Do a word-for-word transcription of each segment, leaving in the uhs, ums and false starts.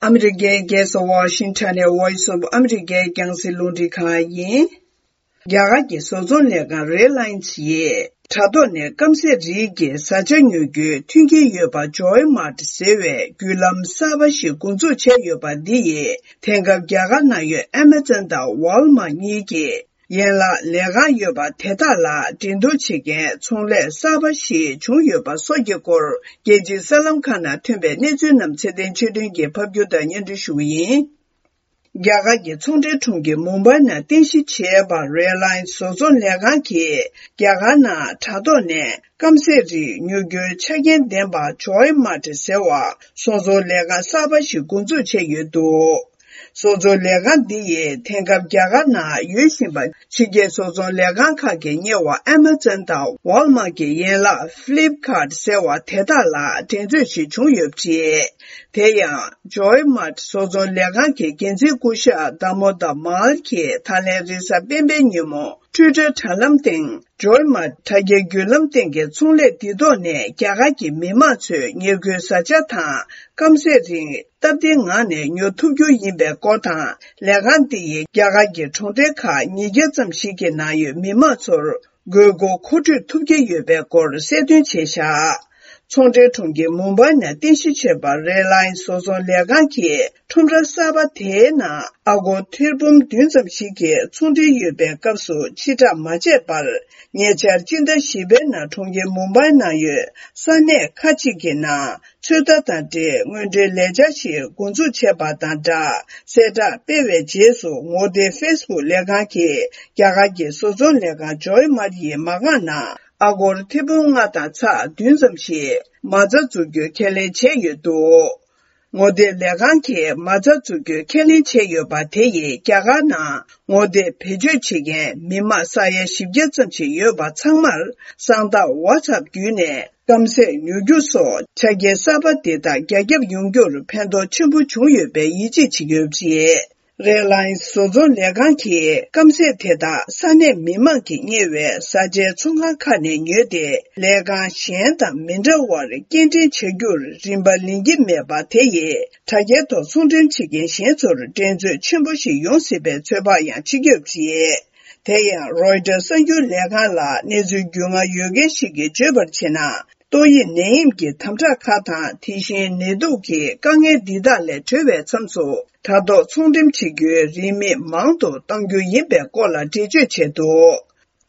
ཨ་མི་རི་ཀའི་རྒྱལ་ས་ཝ་ཤིང་ཊོན་ནས་Voice of America རྒྱང་སྲིང་རླུང་འཕྲིན་ཁང་ཡིན། རྒྱ་གར་གྱི་བཟོ་ཚོང་ལས་ཁང་Reliance ཡིས་དྲ་ཐོག་ནས་སྐམ་ཟས་རིགས་ཀྱི་བཟའ་བཅའ་ཉོ་རྒྱུའི་མཐུན་རྐྱེན་ཡོད་པ་Joy Mart ཟེར་བའི་བརྒྱུད་ལམ་གསར་པ་ཞིག་འགོ་འཛུགས་བྱས་ཡོད་པ་འདི་ཡིས་དེང་སྐབས་རྒྱ་གར་ནང་ཡོད་Amazon དང་Walmart གཉིས་ཀྱི་ཡན་ལག་ལས་ཁང་ཡོད་པ་དེ་དག་ལ་འགྲན་བསྡུར་བྱེད་མཁན་ཚོང་ལས་གསར་པ་ཞིག་བྱུང་ཡོད་པ་སོགས་ཀྱི་སྐོར། རྒྱལ་སྤྱིའི་གསར་ལམ་ཁག་ནང་ཐོན་པའི་གནས་ཚུལ་རྣམས་ཚེ་བརྟན་ཆོས་སྒྲོན་གྱིས་ཕབ་སྒྱུར་དང་སྙན་སྒྲོན་ཞུ་གི་ཡིན། རྒྱ་གར་གྱི་ཚོང་འབྲེལ་གྲོང་ཁྱེར་མུམ་བྷའི་ནང་རྟེན་གཞི་བྱས་པ་Reliance བཟོ་ཚོང་ལས་ཁང་གིས་རྒྱ་གར་ནང་དྲ་ཐོག་ནས་སྐམ་ཟས་རིགས་ཉོ་རྒྱུའི་ཆ་རྐྱེན་ལྡན་པ་Joy Mart ཟེར་བ་བཟོ་ཚོང་ལས་ཁང་གསར་པ་ཞིག་འགོ་འཛུགས་བྱས་ཡོད་འདུག་བཟོ་ཚོང་ལས་ཁང་འདི་ཡིས་དེང་སྐབས་རྒྱ་གར་ནང་ཡོད་བཞིན་པ་ཕྱི་རྒྱལ་བཟོ་ཚོང་ལས་ཁང་ཁག་གིས་གཉེར་བ་Amazon དང་Walmart གྱི་ཡན་ལག་Flipkart ཟེར་བ་དེ་དག་ལ་འགྲན་རྩོད་ཞིག་བྱུང་ཡོད་པ་རེད། དེ་ཡང་Joy Mart བཟོ་ཚོང་ལས་ཁང་གི་འགན་འཛིན་སྐུ་ཞབས་Damodar Mal གྱིས་ད་ལན་རེས་གཟའ་སྤེན་པའི་ཉིན་མོ་Twitter དྲ་ལམ་སྟེང་Joy Mart དྲ་རྒྱའི་བརྒྱུད་ལམ་སྟེང་གི་ཚོང་ལས་འདི་ཐོག་ནས་རྒྱ་གར་གྱི་མི་མང་ཚོས་ཉེར་མཁོའི་བཟའ་བཅའ་དང་སྐམ་ཟས་རིགས་སྟབས་བདེའི་ངང་ནས་ཉོ་ཐུབ་རྒྱུ་ཡིན་པའི་སྐོར་དང་། ལས་ཁང་འདི་ཡིས་རྒྱ་གར་གྱི་གྲོང་རྡལ་ཁག་ཉིས་བརྒྱ་ཙམ་ཞིག་གི་ནང་ཡོད་མི་མང་ཚོར་དགོས་མཁོ་མཁོ་སྤྲོད་ཐུབ་ཀྱི་ཡོད་པའི་སྐོར་གསལ་སྟོན་བྱས་བཞག་ཚོང་འབྲེལ་གྲོང་ཁྱེར་མུམ་བྷའི་ནང་རྟེན་གཞི་བྱས་པ་Reliance བཟོ་ཚོང་ལས་ཁང་གིས་ཁྲོམ་ར་གསར་པ་དེའི་ནང་ཨ་སྒོར་ཐེར་འབུམ་བདུན་ཙམ་ཞིག་གི་ཚོང་འབྲེལ་ཡོད་པའི་སྐབས་སུ་ཕྱིར་བསྒྲགས་མ་བྱས་པར། ཉེ་ཆར་སྤྱི་ཟླ་བཞི་པའི་ནང་གྲོང་ཁྱེར་མུམ་བྷའི་ནང་ཡོད་ས་གནས་ཁག་ཅིག་གི་ནང་ཚོད་ལྟ་དང་འབྲེལ་དངོས་འབྲེལ་ལས་འཆར་ཞིག་འགོ་འཛུགས་བྱས་པ་དང་སྦྲགས། གསལ་བསྒྲགས་སྤེལ་བའི་རྗེས་སུ་ངོ་དེབ་Facebook ལས་ཁང་གིས་རྒྱ་གར་གྱི་བཟོ་ཚོང་ལས་ཁང་Joy Mart ཡི་མ་རྐང་ནང་ཨ་སྒོར་ཐེར་འབུམ་ལྔ་དང་ཚེག་བདུན་ཙམ་ཞིག་མ་རྩ་འཛུགས་རྒྱུ་ཁས་ལེན་བྱས་ཡོད་འདུག་ངོ་དེབ་ལས་ཁང་གིས་མ་རྩ་འཛུགས་རྒྱུའི་ཁས་ལེན་བྱས་ཡོད་པ་དེ་ཡིས་རྒྱ་གར་ནང་ངོ་དེབ་བེད་སྤྱོད་བྱེད་མཁན་མི་མང་ས་ཡ་བཞི་བརྒྱ་ཙམ་ཞིག་ཡོད་པ་ཚང་མར་གསང་རྟགས་WhatsApp བརྒྱུད་ནས་སྐམ་ཟས་ཉོ་རྒྱུ་སོགས་ཆ་རྐྱེན་གསར་པ་འདི་དག་རྒྱ་ཁྱབ་ཡོང་རྒྱུར་ཕན་ཐོགས་ཆེན་པོ་བྱུང་ཡོད་པའི་ཡིད་ཆེས་བྱེད་ཀྱི་ཡོད་པ་རེད། Reliance བཟོ་ཚོང་ལས་ཁང་གིས་སྐམ་ཟས་དེ་དག་ས་གནས་མི་མང་གིས་གཉེར་བའི་བཟའ་བཅའི་ཚོང་ཁང་ཁག་ནས་ཉོས་ཏེ། ལས་ཁང་གཞན་དང་མི་འདྲ་བར་སྐྱེལ་འདྲེན་བྱ་རྒྱུར་རིན་པ་ལེན་གྱི་མེད་པ་དེ་ཡིས་དྲ་རྒྱའི་ཐོག་ཚོང་འགྲེམས་བྱེད་མཁན་གཞན་ཚོར་འགྲན་རྩོད་ཆེན་པོ་ཞིག་ཡོང་སྲིད་པའི་ཚོད་དཔག་ཡང་བྱེད་ཀྱི་ཡོད་པ་རེད། དེ་ཡང་Reuters གསར་འགྱུར་ལས་ཁང་ལ་གནས་ཚུལ་རྒྱུས་མངའ་ཡོད་མཁན་ཞིག་གིས་བརྗོད་པར་བྱས་ན། ཏོག་དབྱིབས་ནད་ཡམས་ཀྱི་དམ་དྲག་ཁག་དང་། དེ་བཞིན་ནད་དུག་གི་དཀའ་ངལ་འདི་དག་ལས་གྲོལ་བའི་མཚམས་སུ། དྲ་ཐོག་ཚོང་འགྲེམས་བྱེད་རྒྱུའི་རིན་མེད་མང་དུ་གཏོང་རྒྱུ་ཡིན་པའི་སྐོར་ལ་འགྲེལ་བརྗོད་བྱས་འདུག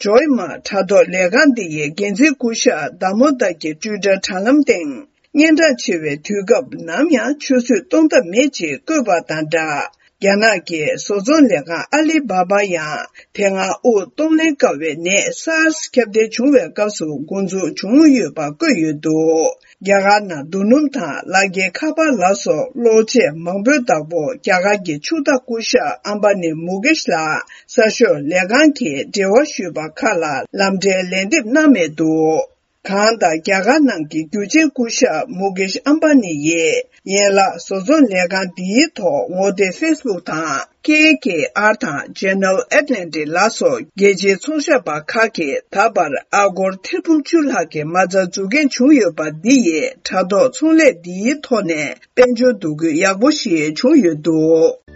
Joy Mart དྲ་ཐོག་ལས་ཁང་འདི་ཡི་འགན་འཛིན་སྐུ་ཞབས་Damodar གྱིས་Twitter དྲ་ལམ་སྟེང་། སྙན་གྲགས་ཆེ་བའི་དུས་སྐབས་ནམ་ཡང་ཆུད་ཟོས་གཏོང་ཐབས་མེད་ཅེས་བཀོད་པ་དང་སྦྲགས། རྒྱ་ནག་གི་བཟོ་ཚོང་ལས་ཁང་Alibaba ཡང་དེ་སྔ་དབུགས་གཏོང་ལེན་དཀའ་བའི་ནད་SARS ཁྱབ་གདལ་བྱུང་བའི་སྐབས་སུ་འགོ་འཛུགས་བྱུང་ཡོད་པ་བཀོད་ཡོད་འདུག་རྒྱ་གར་ནང་རྡོ་སྣུམ་དང་ལག་འཁྱེར་ཁ་པར་ལ་སོགས་གློག་ཆས་མང་པོའི་བདག་པོ་རྒྱ་གར་གྱི་ཕྱུག་བདག་སྐུ་ཞབས་ཨམ་བྷ་ནི་མུ་ཀེཤ་ལགས་གསར་ཤོག་ལས་ཁང་གིས་འབྲེལ་བ་ཞུས་པ་ཁག་ལ་ལམ་འཕྲལ་ལན་འདེབས་གནང་མེད་འདུག་གང་ལྟར། རྒྱ་གར་ནང་གི་རྒྱུ་ཆེན་སྐུ་ཞབས་མུ་ཀེཤ་ཨམ་བྷ་ནི་ཡིས་ཡན་ལག་བཟོ་ཚོང་ལས་ཁང་འདིའི་ཐོག་ངོ་དེབ་Facebook དང་KKR དང་General Atlantic ལ་སོགས་རྒྱལ་སྤྱིའི་ཚོང་ཞབས་པ་ཁག་གིས་ད་བར་ཨ་སྒོར་ཐེར་འབུམ་བཅུ་ལྷག་གི་མ་རྩ་འཛུགས་མཁན་བྱུང་ཡོད་པ་འདི་ཡིས་དྲ་ཐོག་ཚོང་ལས་འདིའི་ཐོག་ནས་དཔལ་འབྱོར་འདུ་འགོད་ཡག་པོ་ཞིག་བྱུང་ཡོད་འདུག